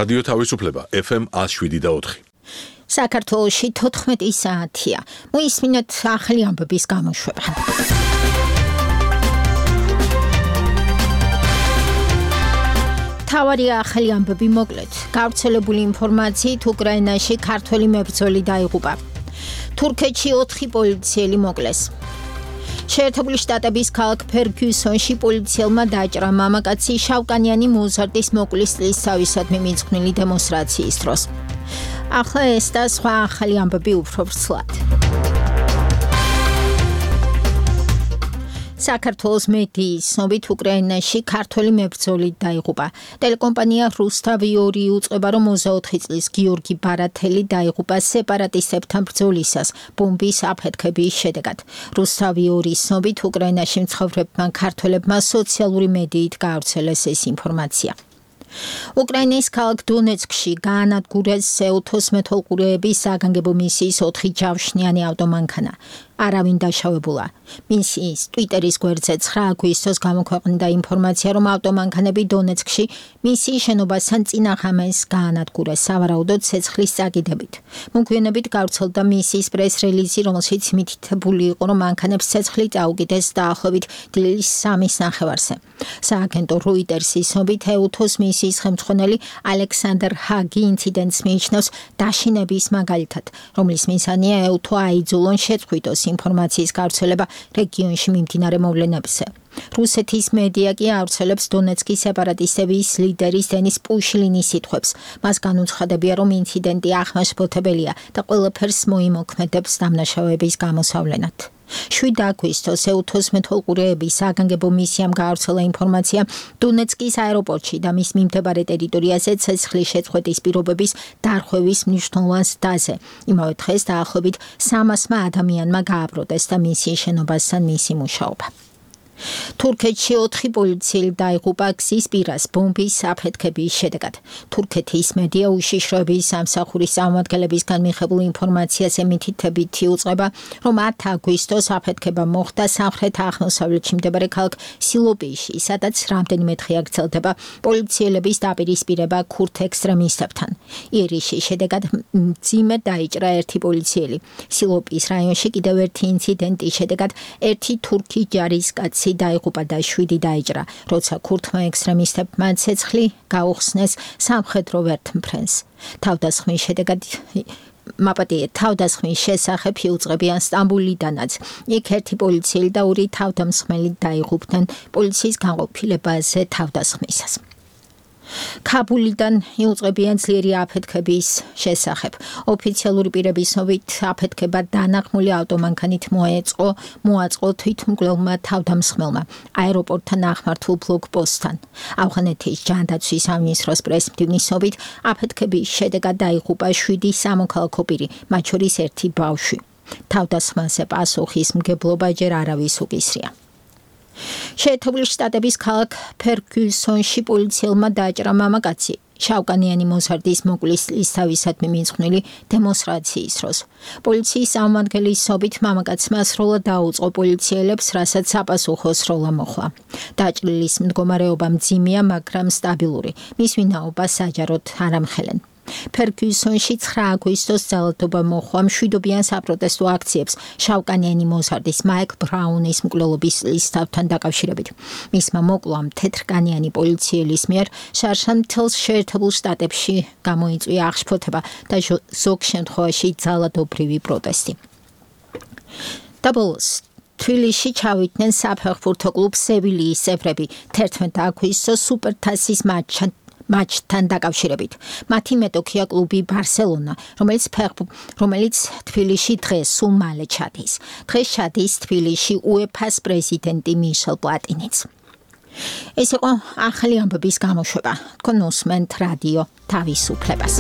რადიო თავისუფლება FM 107.4. საქართველოში 14 საათია. მოისმინოთ ახალი ამბების გამოშვება. თავარი ახალი ამბები მოკლედ. გავრცელებული ინფორმაციით უკრაინაში ქართველი მებრძოლი დაიღუპა. თურქეთში 4 პოლიციელი მოკლეს. შეერთებული შტატების ქალაქ ფერგიუსონში პოლიციელმა დაჭრა მამაკაცი შავკანიანი მოზარდის მოკვლის წლისთავისადმი მიძღვნილი დემონსტრაციის დროს. ახლა ეს და სხვა ახალი ამბები უფრო ვრცლად. საქართველოს მედიის ცნობით უკრაინაში ქართველი მებრძოლი დაიღუპა. ტელეკომპანია რუსთავი-2 უწყება, რომ 24 წლის გიორგი ბარათელი დაიღუპა სეპარატისტებთან ბრძოლისას ბომბის აფეთქების შედეგად. რუსთავი-2 ცნობით უკრაინაში მცხოვრებმა ქართველებმა სოციალური მედიით გაავრცელეს ეს ინფორმაცია. უკრაინის ქალაქ დონეცკში გაანადგურეს ეუთოს მეთვალყურეების საგანგებო მისიის 4 ჯავშნიანი ავტომანქანა. არავინ დაშავებულა. მისიის ტვიტერის გვერდზე 9 აგვისტოს გამოქვეყნდა ინფორმაცია, რომ ავტომანქანები დონეცკში მისიის შენობასთან წინაღამეს გაანადგურეს სავარაუდოდ ცეცხლის წაკიდებით. მოგვიანებით გავრცელდა მისიის პრეს-რელიზი, რომელშიც მითითებული იყო, რომ მანქანებს ცეცხლი წაუკიდეს დაახლოებით დილის 3-ის ნახევარზე. სააგენტო როიტერსის ცნობით ეუთოს მისიის ხელმძღვანელი ალექსანდრ ჰაგი ინციდენტს მიიჩნევს დაშინების მაგალითად, რომლის მიზანია ეუთო აიძულონ შეწყვიტოს ინფორმაციის გავრცელება რეგიონში მიმდინარე მოვლენებზე. რუსეთის მედია კი ავრცელებს დონეცკის სეპარატისტების ლიდერის დენის პუშლინის სიტყვებს. მას განუცხადებია, რომ ინციდენტი ახმაშფოთებელია და ყველაფერს მოიმოქმედებს დამნაშავეების გამოსავლენად. 7 აგვისტოს ეუთოს მეთვალყურეების საგანგებო მისიამ გაავრცელა ინფორმაცია დონეცკის აეროპორტში და მის მიმდებარე ტერიტორიაზე ცეცხლის შეწყვეტის პირობების დარღვევის მნიშვნელოვან ზდაზე. იმავე დღეს დაახლოებით 300 ადამიანმა გააპროტესტა მისიის შენობასთან მისი მუშაობა. თურქეთში 4 პოლიციელი დაიღუპა გზის პირას ბომბის აფეთქების შედეგად. თურქეთის მედია უშიშროების სამსახურის წარმომადგენლებისგან მიღებულ ინფორმაციას მითითებით იუწყება, რომ 10 აგვისტოს აფეთქება მოხდა სამხრეთ-აღმოსავლეთში მდებარე ქალაქ სილოპიში, სადაც რამდენიმე დღე გრძელდება პოლიციელების დაპირისპირება ქურთ ექსტრემისტებთან. იერიშის შედეგად მძიმედ დაიჭრა 1 პოლიციელი. სილოპის რაიონში კიდევ ერთი ინციდენტის შედეგად 1 თურქი ჯარისკაცი დაიღუპა და 7 დაიჭრა, როცა ქურთმა ექსტრემისტებმა ცეცხლი გაუხსნეს სამხედრო ვერტმფრენს. თავდასხმის შესახებ იუწყებიან სტამბოლიდანაც. იქ 1 პოლიციელი და 2 თავდამსხმელი დაიღუპნენ პოლიციის განყოფილებაზე თავდასხმისას. ქაბულიდან იუწყებიან ძლიერი აფეთქების შესახებ. ოფიციალური პირების ცნობით აფეთქება დანაღმული ავტომანქანით მოაწყო თვითმკვლელმა თავდამსხმელმა აეროპორტთან ახლართულ ბლოკპოსტთან. ავღანეთის ჯანდაცვის სამინისტროს პრესმდივნის ცნობით აფეთქების შედეგად დაიღუპა 7 სამოქალაქო პირი, მათ შორის 1 ბავშვი. თავდასხმაზე პასუხისმგებლობა ჯერ არავის უკისრია. შეერთებული შტატების ქალაქ ფერგიუსონში პოლიციელმა დაჭრა მამაკაცი შავკანიანი მოზარდის მოკვლის წლისთავისადმი მიძღვნილი დემონსტრაციის დროს. პოლიციის წარმომადგენლის ცნობით მამაკაცმა სრულად დაუწყო პოლიციელებს, რასაც საპასუხო სროლა მოხდა. დაჭრილის მდგომარეობა მძიმეა, მაგრამ სტაბილური. მის ვინაობას საჯაროდ არ ამხელენ. ფერგიუსონში 9 აგვისტოს ძალადობა მოხდა მშვიდობიან საპროტესტო აქციებს შავკანიანი მოზარდის მაიკლ ბრაუნის მკვლელობის წლისთავთან დაკავშირებით. მისმა მოკლამ თეთრკანიანი პოლიციელის მიერ შარშან მთელს შეერთებულ შტატებში გამოიწვია აღშფოთება და ზოგ შემთხვევაში ძალადობრივი პროტესტი. დაბოლოს თბილისში ჩავიდნენ საფეხბურთო კლუბ სევილიის წევრები 11 აგვისტოს სუპერთასის მატჩთან დაკავშირებით. მათი მეტოქია კლუბი ბარსელონა, რომელიც თბილისში დღეს სულ მალე ჩადის. დღეს ჩადის თბილისში UEFA-ს პრეზიდენტი მიშელ პლატინიც. ეს იყო ახალი ამბების გამოშვება. თქვენ უსმენთ რადიო თავისუფლებას.